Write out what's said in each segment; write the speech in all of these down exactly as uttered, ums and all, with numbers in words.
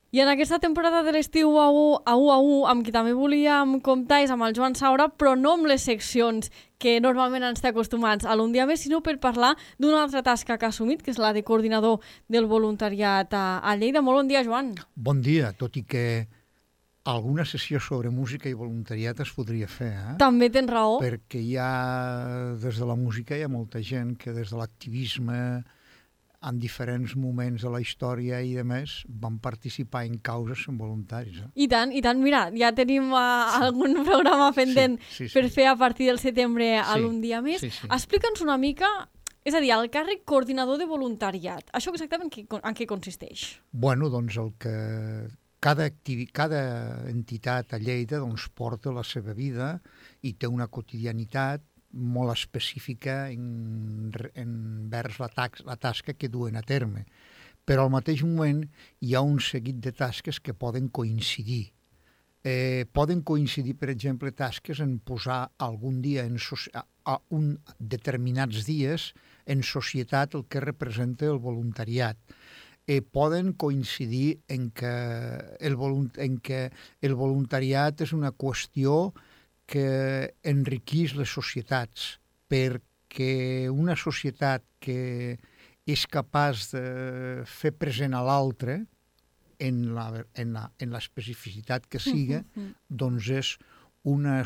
I en aquesta temporada de l'estiu a u a u, a u amb qui també volíem comptar és amb el Joan Saura, però no amb les seccions que normalment ens té acostumats a l'Un dia més, sinó per parlar d'una altra tasca que ha assumit, que és la de coordinador del voluntariat a, a Lleida. Molt bon dia, Joan. Bon dia, tot i que alguna sessió sobre música i voluntariat es podria fer, eh? També tens raó. Perquè hi ha, des de la música hi ha molta gent que des de l'activisme, en diferents moments de la història i de més, van participar en causes en voluntaris. Eh? I tant, i tant. Mira, ja tenim uh, algun programa pendent sí, sí, sí. per fer a partir del setembre a sí, l'Un dia més. Sí, sí. Explica'ns una mica, és a dir, el càrrec coordinador de voluntariat. Això exactament en què, en què consisteix? Bueno, doncs el que cada, activi... cada entitat a Lleida doncs, porta la seva vida i té una quotidianitat molt específica en, envers la, tax, la tasca que duen a terme. Però al mateix moment hi ha un seguit de tasques que poden coincidir. Eh, poden coincidir, per exemple, tasques en posar algun dia, en so a un determinats dies, en societat el que representa el voluntariat. Eh, poden coincidir en que, el volunt en que el voluntariat és una qüestió que enriquís les societats, perquè una societat que és capaç de fer present a l'altre en la, en la, en l'especificitat que siga, doncs és una,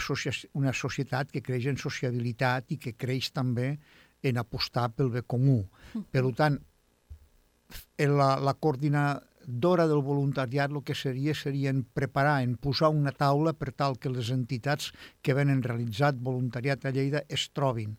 una societat que creix en sociabilitat i que creix també en apostar pel bé comú. Per tant, la, la coordinació d'hora del voluntariat el que seria seria en preparar, en posar una taula per tal que les entitats que venen realitzat voluntariat a Lleida es trobin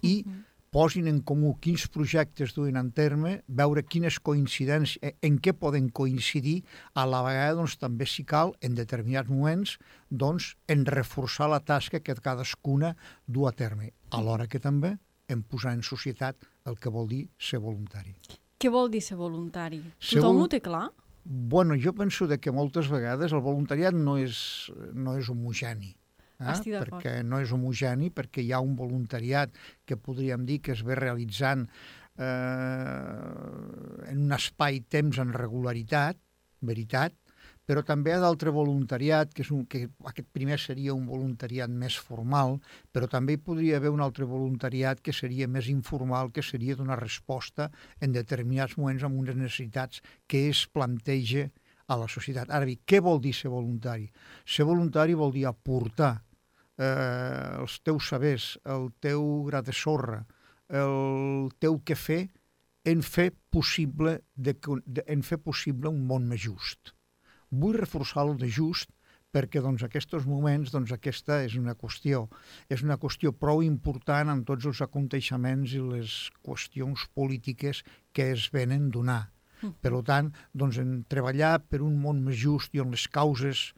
i uh-huh. posin en comú quins projectes duen en terme, veure quines coincidències, en què poden coincidir, a la vegada doncs, també si cal, en determinats moments, doncs, en reforçar la tasca que cadascuna du a terme, alhora que també en posar en societat el que vol dir ser voluntari. Què vol dir ser voluntari? Tothom ho té clar? Bueno, jo penso que moltes vegades el voluntariat no és, no és homogeni. Eh? Estic d'acord. Perquè no és homogeni, perquè hi ha un voluntariat que podríem dir que es ve realitzant eh, en un espai-temps en regularitat, veritat, però també hi ha d'altre voluntariat, que, és un, que aquest primer seria un voluntariat més formal, però també hi podria haver un altre voluntariat que seria més informal, que seria donar resposta en determinats moments amb unes necessitats que es planteja a la societat. Ara bé, què vol dir ser voluntari? Ser voluntari vol dir aportar eh, els teus sabers, el teu gra de sorra, el teu què fer en fer possible, de, de, en fer possible un món més just. Vull reforçar el de just perquè doncs, aquests moments doncs, aquesta és una qüestió. És una qüestió prou important en tots els aconteixements i les qüestions polítiques que es venen donar. Per tant, doncs, en treballar per un món més just i on les causes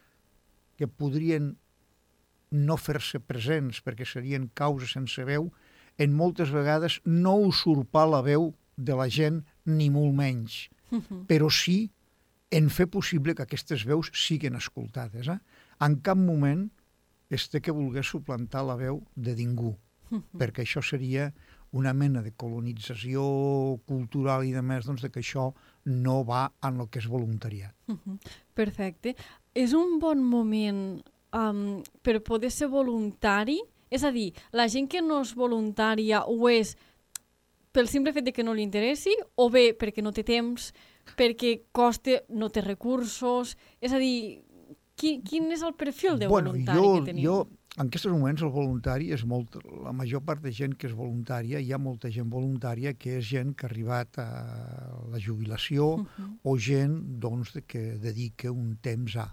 que podrien no fer-se presents perquè serien causes sense veu, en moltes vegades no usurpar la veu de la gent ni molt menys, però sí en fer possible que aquestes veus siguin escoltades. Eh? En cap moment es té que voler suplantar la veu de ningú, perquè això seria una mena de colonització cultural i de més, doncs, de que això no va en el que és voluntariat. Perfecte. És un bon moment um, per poder ser voluntari? És a dir, la gent que no és voluntària ho és pel simple fet de que no li interessi o bé perquè no té temps, perquè costa, no té recursos, és a dir, quin, quin és el perfil de bueno, voluntari jo, que tenim? Jo, en aquests moments, el voluntari és molt... La major part de gent que és voluntària, hi ha molta gent voluntària que és gent que ha arribat a la jubilació uh-huh. o gent, doncs, que dedica un temps a...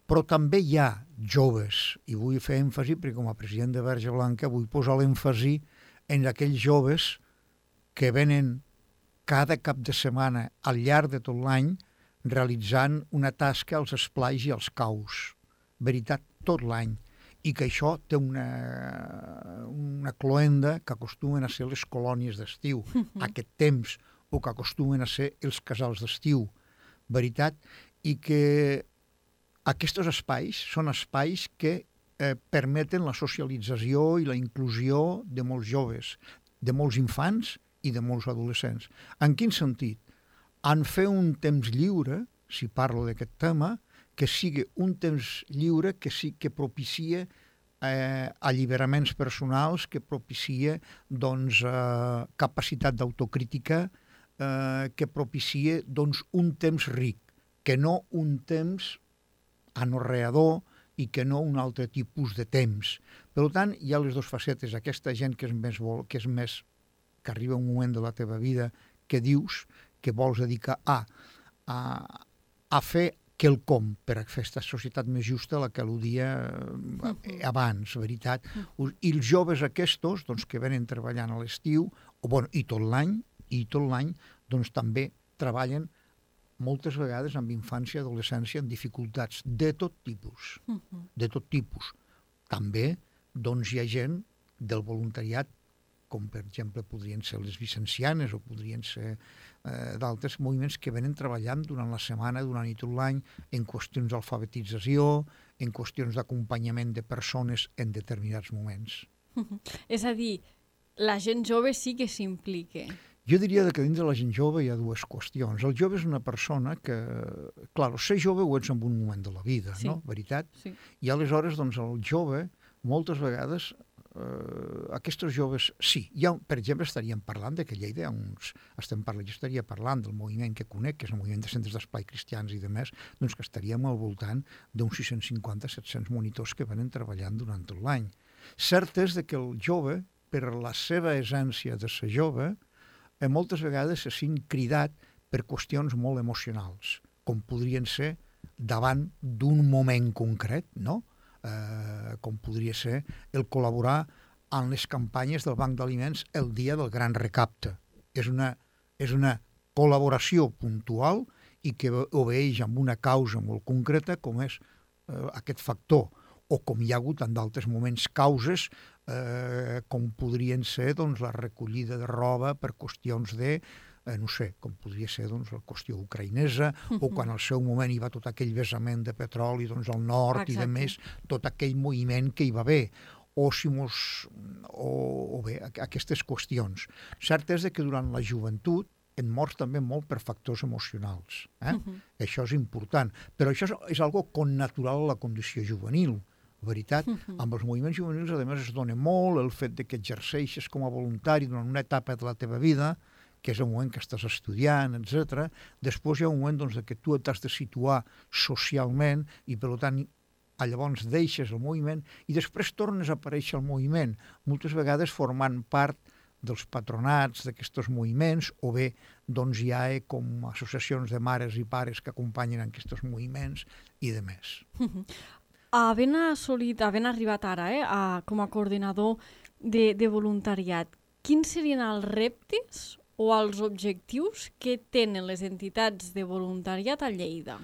Però també hi ha joves, i vull fer èmfasi, perquè com a president de Verge Blanca vull posar l'èmfasi en aquells joves que venen cada cap de setmana al llarg de tot l'any realitzant una tasca als esplais i als caus. Veritat, tot l'any. I que això té una, una cloenda que acostumen a ser les colònies d'estiu, aquest temps, o que acostumen a ser els casals d'estiu. Veritat? I que aquests espais són espais que eh, permeten la socialització i la inclusió de molts joves, de molts infants i de molts adolescents. En quin sentit? En fer un temps lliure si parlo d'aquest tema, que sigui un temps lliure que sí que propicia eh, alliberaments personals, que propicia doncs, eh, capacitat d'autocrítica, eh, que propicia doncs, un temps ric, que no un temps anorreador i que no un altre tipus de temps. Per tant, hi ha les dues facetes. Aquesta gent que és més, vol, que és més que arriba un moment de la teva vida que dius que vols dedicar a, a, a fer quelcom per a fer aquesta societat més justa a la que al·ludia abans, veritat. I els joves aquests, doncs, que venen treballant a l'estiu, o, bueno, i tot l'any, i tot l'any, doncs també treballen moltes vegades amb infància i adolescència amb dificultats de tot tipus, de tot tipus. També, doncs, hi ha gent del voluntariat, com per exemple podrien ser les vicencianes o podrien ser eh, d'altres moviments que venen treballant durant la setmana, durant i tot l'any, en qüestions d'alfabetització, en qüestions d'acompanyament de persones en determinats moments. És a dir, la gent jove sí que s'implica. Jo diria que dins de la gent jove hi ha dues qüestions. El jove és una persona que, clar, ser jove ho ets en un moment de la vida, sí. No? Veritat? Sí. I aleshores, doncs, el jove, moltes vegades, eh, aquests joves, sí, ha, per exemple, estaríem parlant de que Lleida, uns, estem parlant, jo estaria parlant del moviment que conec, que és el moviment de centres d'esplai cristians i de més, doncs que estaríem al voltant d'uns sis-cents cinquanta a set-cents monitors que venen treballant durant tot l'any. Cert és de que el jove, per la seva essència de ser jove, eh, moltes vegades se sent cridat per qüestions molt emocionals, com podrien ser davant d'un moment concret, no? Eh, com podria ser el col·laborar en les campanyes del Banc d'Aliments el dia del gran recapte. És una, és una col·laboració puntual i que obeeix amb una causa molt concreta com és eh, aquest factor, o com hi ha hagut en d'altres moments causes eh, com podrien ser doncs, la recollida de roba per qüestions de, eh, no sé, com podria ser doncs, la qüestió ucraïnesa, uh-huh. o quan al seu moment hi va tot aquell vessament de petroli doncs, al nord. Exacte. I de més, tot aquell moviment que hi va haver, o, si mos, o, o bé, aquestes qüestions. Cert és que durant la joventut en mors també molt per factors emocionals. Eh? Uh-huh. Això és important. Però això és, és algo connatural a la condició juvenil. Veritat, uh-huh. Amb els moviments juvenils, a més, es dona molt el fet de que exerceixes com a voluntari durant una etapa de la teva vida, que és el moment que estàs estudiant, etcètera. Després hi ha un moment doncs, que tu t'has de situar socialment i, per tant, llavors deixes el moviment i després tornes a aparèixer al moviment, moltes vegades formant part dels patronats d'aquests moviments, o bé doncs, hi ha com associacions de mares i pares que acompanyen aquests moviments i de més. Uh-huh. Havent assolit, havent arribat ara eh, a, com a coordinador de, de voluntariat, quins serien els reptes o els objectius que tenen les entitats de voluntariat a Lleida?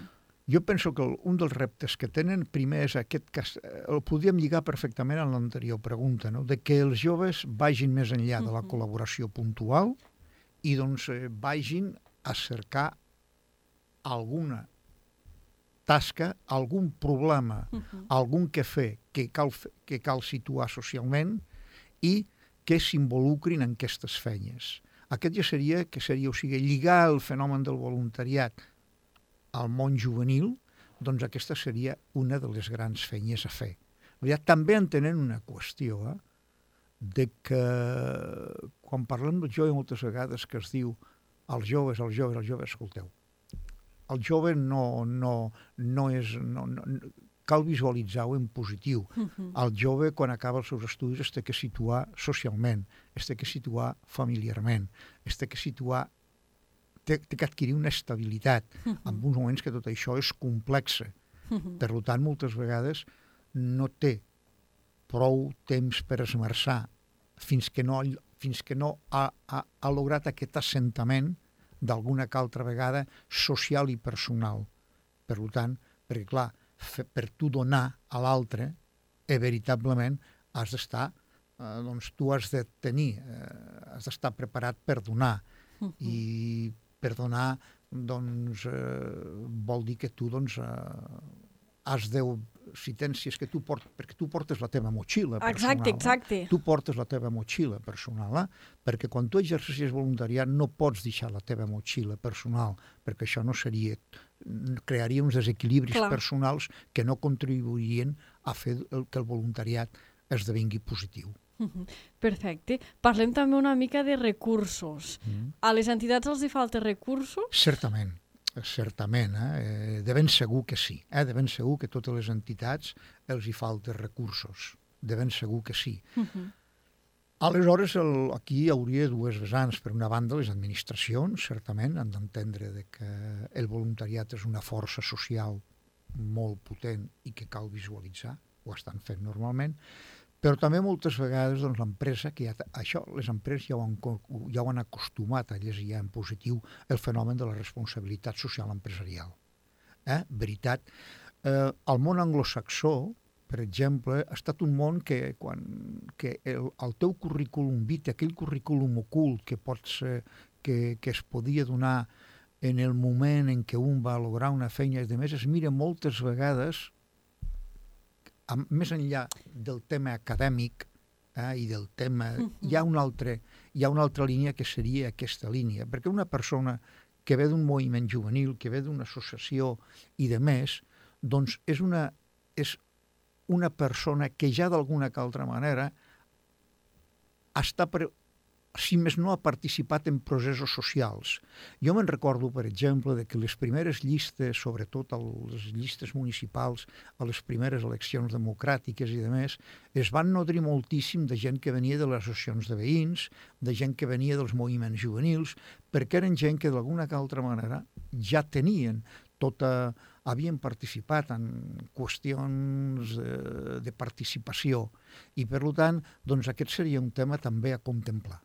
Jo penso que un dels reptes que tenen primer és aquest que el podríem lligar perfectament a l'anterior pregunta, no? De que els joves vagin més enllà de la col·laboració puntual i doncs eh, vagin a cercar alguna tasca, algun problema, uh-huh. algun que fer que cal, que cal situar socialment i que s'involucrin en aquestes feines. Aquest ja seria, que seria, o sigui, lligar el fenomen del voluntariat al món juvenil, doncs aquesta seria una de les grans feines a fer. També entenent una qüestió, eh, de que quan parlem del jove moltes vegades que es diu els joves, els joves, els joves, escolteu, el jove no, no, no és... No, no, cal visualitzar-ho en positiu. Uh-huh. El jove, quan acaba els seus estudis, es té que situar socialment, es té que situar familiarment, es té que situar... té, té que adquirir una estabilitat, uh-huh. en uns moments que tot això és complex. Uh-huh. Per tant, moltes vegades no té prou temps per esmerçar fins que no, fins que no ha, ha, ha lograt aquest assentament d'alguna que altra vegada social i personal. Per tant, perquè clar, fe, per tu donar a l'altre, eh, veritablement has d'estar, eh, doncs tu has de tenir, eh, has d'estar preparat per donar. Uh-huh. I per donar, doncs, eh, vol dir que tu, doncs, eh, has de si tens, si és que tu portes, perquè tu portes la teva motxilla personal. Exacte, exacte. Eh? Tu portes la teva motxilla personal, eh? Perquè quan tu exercicies voluntariat no pots deixar la teva motxilla personal, perquè això no seria, crearia uns desequilibris Clar. personals que no contribuirien a fer el, que el voluntariat esdevingui positiu. Perfecte. Parlem també una mica de recursos. Mm. A les entitats els hi falta recursos? Certament, certament. Eh? De ben segur que sí. Eh? De ben segur que totes les entitats els hi falta recursos. De ben segur que sí. Uh-huh. Aleshores, el, aquí hi hauria dues vessants. Per una banda, les administracions, certament, han d'entendre de que el voluntariat és una força social molt potent i que cal visualitzar, ho estan fent normalment, però també moltes vegades doncs, l'empresa, que ja, això les empreses ja ho, han, ja ho han acostumat a llegir en positiu el fenomen de la responsabilitat social empresarial. Eh? Veritat. Eh, el món anglosaxó, per exemple, ha estat un món que, quan, que el, el teu currículum vitae, aquell currículum ocult que, pot ser, que, que es podia donar en el moment en què un va lograr una feina, de més es mira moltes vegades més enllà del tema acadèmic eh, i del tema... Uh-huh. Hi ha una altra, hi ha una altra línia que seria aquesta línia, perquè una persona que ve d'un moviment juvenil, que ve d'una associació i de més, doncs és una, és una persona que ja d'alguna que altra manera està... Pre... si més no, ha participat en processos socials. Jo me'n recordo, per exemple, de que les primeres llistes, sobretot les llistes municipals, a les primeres eleccions democràtiques i de més, es van nodrir moltíssim de gent que venia de les associacions de veïns, de gent que venia dels moviments juvenils, perquè eren gent que d'alguna que altra manera ja tenien tota... havien participat en qüestions de, de participació i, per tant, doncs aquest seria un tema també a contemplar.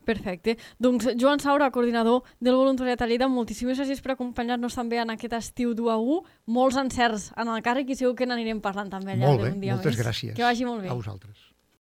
Perfecte. Doncs Joan Saura, coordinador del voluntariat a Lleida, moltíssimes gràcies per acompanyar-nos també en aquest estiu d'u a u. Molts encerts en el càrrec i segur que n'anirem parlant també al llarg d'un dia més. Molt bé, moltes gràcies. Que vagi molt bé. A vosaltres.